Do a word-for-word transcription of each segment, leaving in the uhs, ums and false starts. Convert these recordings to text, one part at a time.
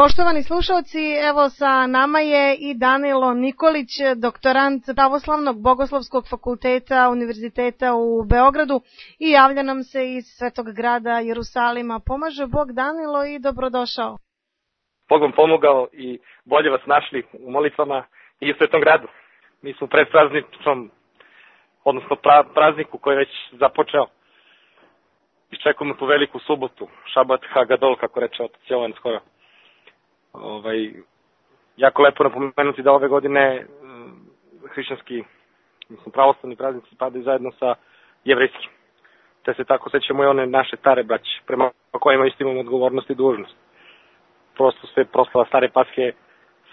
Poštovani slušalci, evo sa nama je i Danilo Nikolić, doktorant Pravoslavnog bogoslovskog fakulteta Univerziteta u Beogradu i javlja nam se iz Svetog grada Jerusalima. Pomaže Bog, Danilo, i dobrodošao. Bog vam pomogao i bolje vas našli u molitvama i u Svetom gradu. Mi smo pred prazničnom, odnosno pra, prazniku koji je već započeo. Iščekujemo tu veliku subotu, Šabat Hagadol, kako reče otac Jovan skoro. Ovaj, jako lepo napomenuti da ove godine hrišćanski, mislim, pravoslavni praznici padaju zajedno sa jevrejskim. Te se tako sećamo i one naše stare braće, prema kojima isto imamo odgovornost i dužnost. Prosto se proslava stare Pashe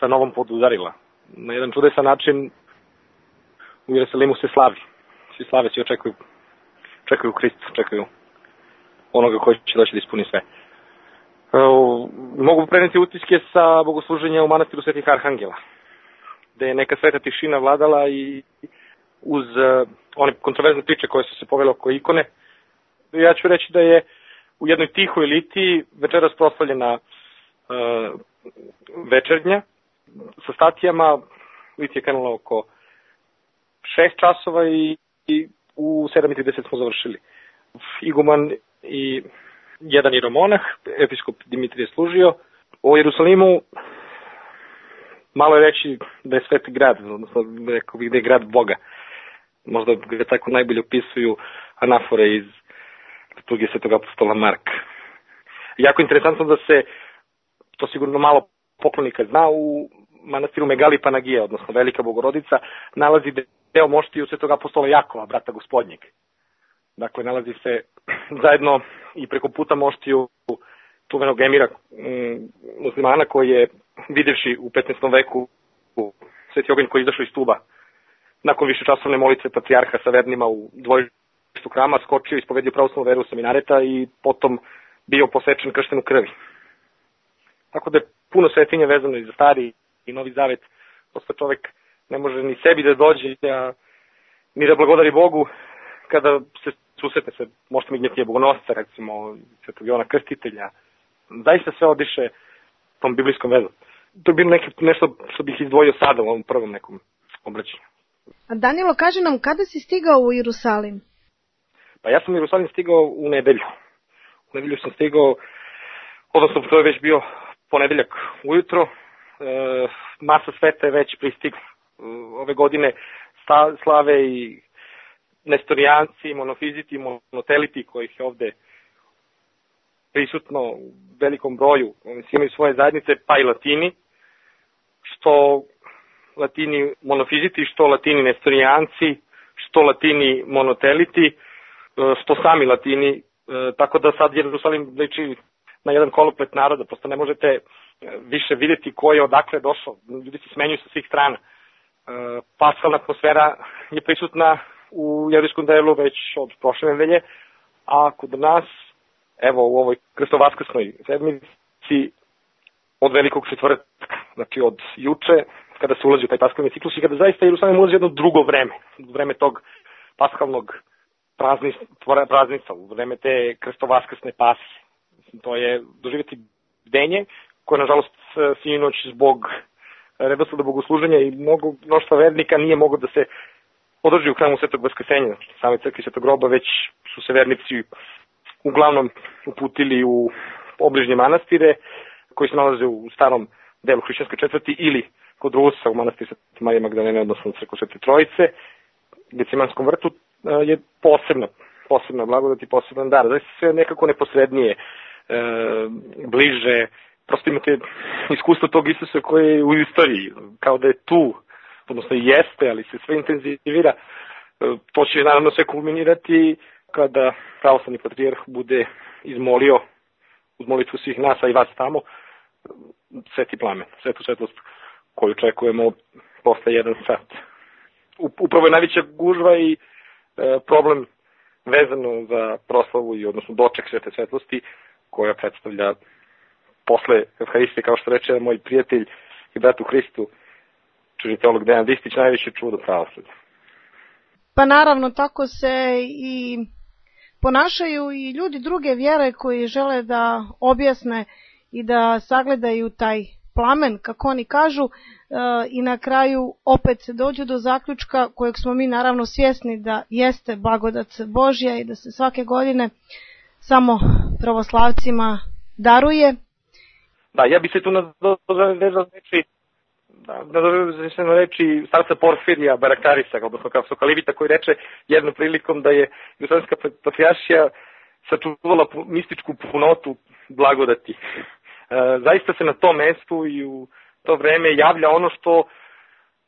sa novom podudarila. Na jedan čudesan način u Jerusalimu se slavi. Svi slave, svi očekuju, čekaju Hristu, čekaju onoga koji će doći da ispuni sve. Uh, mogu preneti utiske sa bogosluženja u manastiru Svetih Arhangela, gde je neka sveta tišina vladala i uz uh, one kontroverzne priče koje su se povele oko ikone. Ja ću reći da je u jednoj tihoj litiji večeras proslavljena uh, večernja sa statijama. Litija je krenula oko šest časova i, i u sedam i trideset smo završili. Iguman i jedan jeromonah, episkop Dimitrije služio. U Jerusalimu malo je reći da je sveti grad, odnosno rekao bih da je grad Boga. Možda ga tako najbolje opisuju anafore iz liturgije svetog apostola Marka. Jako interesantno da se, to sigurno malo poklonika zna, u manastiru Megali Panagija, odnosno Velika Bogorodica, nalazi deo moštiju svetog apostola Jakova, brata gospodnjeg. Dakle, nalazi se zajedno i preko puta moštiju čuvenog emira m, muslimana koji je, videvši u petnaestom veku Sveti oganj koji je izašao iz tuba nakon višečasovne molitve patrijarha sa vernima u dvorištu hrama, skočio i ispovedio pravoslavnu veru sa minareta i potom bio posečen kršten u krvi. Tako da je puno svetinja vezano i za Stari i Novi Zavet. Prosto čovek ne može ni sebi da dođe, a ni da blagodari Bogu kada se susretne se, možete mi gnjetnije bogonosca, recimo Svetog Jovana Krstitelja. Zaista sve odiše tom biblijskom vezom. To je bilo neke, nešto što bih izdvojio sada u ovom prvom nekom obraćanju. A Danilo, kaže nam, kada si stigao u Jerusalim? Pa ja sam u Jerusalim stigao u nedelju. U nedelju sam stigao, odnosno to je već bio ponedeljak ujutro. E, masa sveta je već pristigla. E, ove godine sta, slave i nestorijanci, monofiziti, monoteliti kojih je ovde prisutno u velikom broju. Oni imaju svoje zajednice, pa i latini, što latini monofiziti, što latini nestorijanci, što latini monoteliti, što sami latini, tako da sad Jerusalim liči na jedan koloplet naroda, prosto ne možete više vidjeti ko je odakle došao, ljudi se smenjuju sa svih strana. Paskalna atmosfera je prisutna u jevrejskom delu već od prošle nedelje, a kod nas, evo u ovoj krstovaskrsnoj sedmici od velikog četvrtka, znači od juče, kada se ulazi u taj paskalni ciklus i kada zaista Jerusalim ulazi jedno drugo vreme, vreme tog paskalnog praznica, u vreme te krstovaskrsne pase. To je doživjeti bdenje, koje nažalost sinoć zbog redosleda bogosluženja i mnogo mnoštva vernika nije moglo da se održi u hramu Svetog Vaskrsenja, znači same crkve Svetog groba, već su se vernici uglavnom uputili u obližnje manastire koji se nalaze u starom delu hrišćanske četvrti ili kod Rusa u manastiru Svete Marije Magdalene, odnosno crkvu Svete Trojice. Gecemanskom vrtu je posebna, posebna blagodat i poseban dar. Znači sve nekako neposrednije, e, bliže, prosto imate iskustvo tog Isusa koje je u istoriji, kao da je tu, odnosno i jeste, ali se sve intenzivira. To će naravno sve kulminirati kada pravoslavni patrijarh bude izmolio uz molitvu svih nas, a i vas tamo, sveti plamen, svetu svetlost koju očekujemo posle jedan sat. Upravo je najveća gužva i e, problem vezano za proslavu i odnosno doček svete svetlosti koja predstavlja posle Evharistije, kao što reče moj prijatelj i brat u Hristu, čužni teolog Dejan Distić, najveće čudo pravoslavlja. Pa naravno, tako se i ponašaju i ljudi druge vjere koji žele da objasne i da sagledaju taj plamen, kako oni kažu, i na kraju opet dođu do zaključka kojeg smo mi naravno svjesni da jeste blagodat Božja i da se svake godine samo pravoslavcima daruje. Da, ja bi se tu nadovezao reči, da, nadovezao se na reči starca Porfirija Barakarisa, odnosno Kapsokalivita, koji reče jednom prilikom da je Jugoslovenska patrijaršija sačuvala mističku punotu blagodati. E, zaista se na tom mestu i u to vreme javlja ono što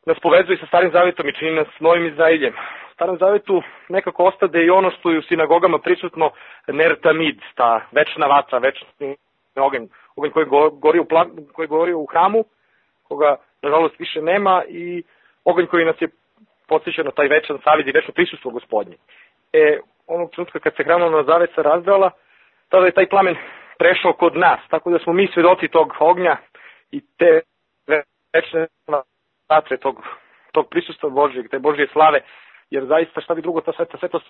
nas povezuje sa Starim Zavetom i čini nas Novim Izraeljem. U Starom Zavetu nekako ostade i ono što je u sinagogama prisutno ner tamid, ta večna vatra, večni oganj, oganj koji gori u, plan, koji gori u hramu, koga nažalost više nema, i oganj koji nas je podsjeća na taj večan savjet i večno prisustvo Gospodnje. E, onog trenutka kad se hramova zavesa razdrala, tada je taj plamen prešao kod nas, tako da smo mi svedoci tog ognja i te večne vatre, tog, tog prisustva Božjeg, te Božje slave, jer zaista šta bi drugo ta sveta svetost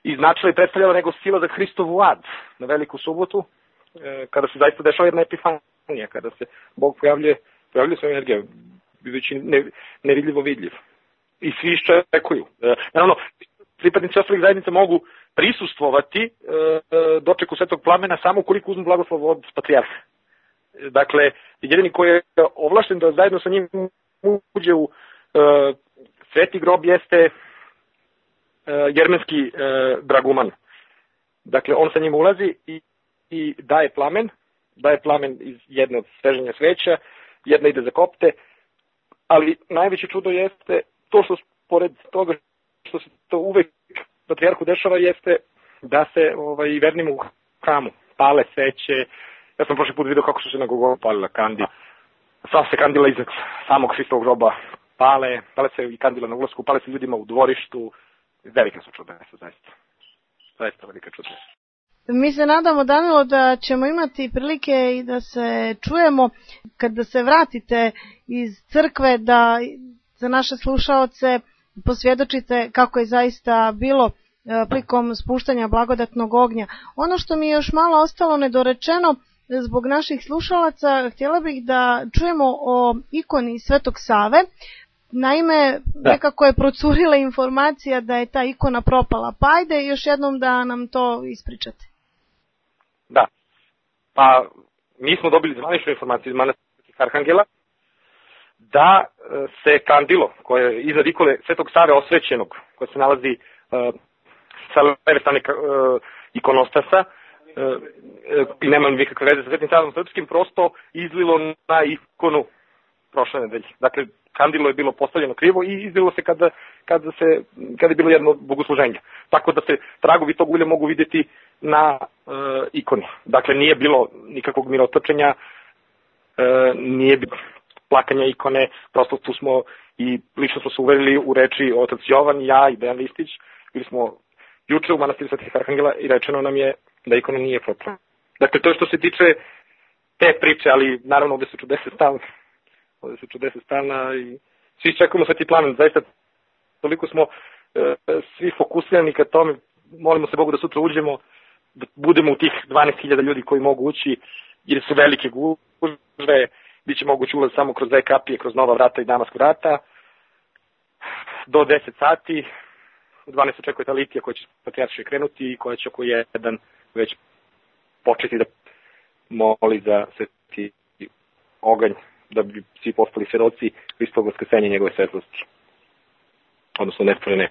iznačila i predstavljala nego sila za Hristovu ad na Veliku subotu, e, kada se zaista dešava jedna epifanija, kada se Bog pojavljuje, pojavljuje svoju energiju, bivajući ne, nevidljivo vidljiv. I svi iščekuju. E, naravno, pripadnici ostalih zajednica mogu prisustvovati e, dočeku svetog plamena samo ukoliko uzmu blagoslov od patrijarha. Dakle, jedini koji je ovlašten da zajedno sa njim uđe u e, sveti grob jeste e, jermenski e, draguman. Dakle, on sa njim ulazi i, i daje plamen, daje plamen iz jedne od sveženja sveća, jedna ide za kopte, ali najveće čudo jeste to što pored toga što se to uvek patrijarhu dešava jeste da se ovaj, vernim u hramu pale sveće. Ja sam prošli put vidio kako su se na Golgotu palila kandila. Sva se kandila iznad samog Hristovog groba pale, pale se i kandila na ulasku, pale se ljudima u dvorištu. Velika su čudesa, zaista. Zaista velika čudesa. Mi se nadamo, Danilo, da ćemo imati prilike i da se čujemo kada se vratite iz crkve, da za naše slušaoce posvjedočite kako je zaista bilo prilikom spuštanja blagodatnog ognja. Ono što mi je još malo ostalo nedorečeno zbog naših slušalaca, htjela bih da čujemo o ikoni Svetog Save. Naime, da. Nekako je procurila informacija da je ta ikona propala. Pa ajde još jednom da nam to ispričate. Da. Pa mi smo dobili zvaničnu informaciju iz manastirskih arhangela da se kandilo koje je iznad ikone Svetog Save osvećenog, koje se nalazi uh, sa leve strane uh, ikonostasa, uh, i nema nikakve veze sa Svetim Savom Srpskim, prosto izlilo na ikonu prošle nedelje. Dakle, kandilo je bilo postavljeno krivo i izlilo se kada, kada, se, kada je bilo jedno bogosluženje. Tako da se tragovi tog ulja mogu vidjeti na uh, ikoni. Dakle, nije bilo nikakvog mirotočenja, uh, nije bilo plakanja ikone, prosto tu smo i lično smo se uverili u reči otac Jovan, ja i Dejan Listić. Bili smo juče u manastiru Svetih Arhangela i rečeno nam je da ikona nije propala. Dakle, to je što se tiče te priče, ali naravno ovdje su čudese stalne. Ovdje su čudese stalna i svi čekamo sveti plamen. Zaista toliko smo e, svi fokusirani ka tome, molimo se Bogu da sutra uđemo, da budemo u tih dvanaest hiljada ljudi koji mogu ući, jer su velike gužve, biće moguće ulaz samo kroz dve kapije, kroz Nova vrata i Damask vrata, do deset sati. U dvanaest očekuje ta litija koja će patrijaršije krenuti i koja će oko jedan već početi da moli za sveti oganj, da bi svi postali svedoci Hristovog vaskrsenja i njegove svetlosti, odnosno nestvorene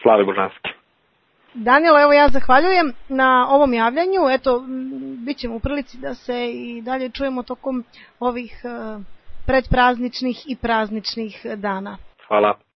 slave božanske. Danilo, evo ja zahvaljujem na ovom javljanju. Eto, bit ćemo u prilici da se i dalje čujemo tokom ovih predprazničnih i prazničnih dana. Hvala.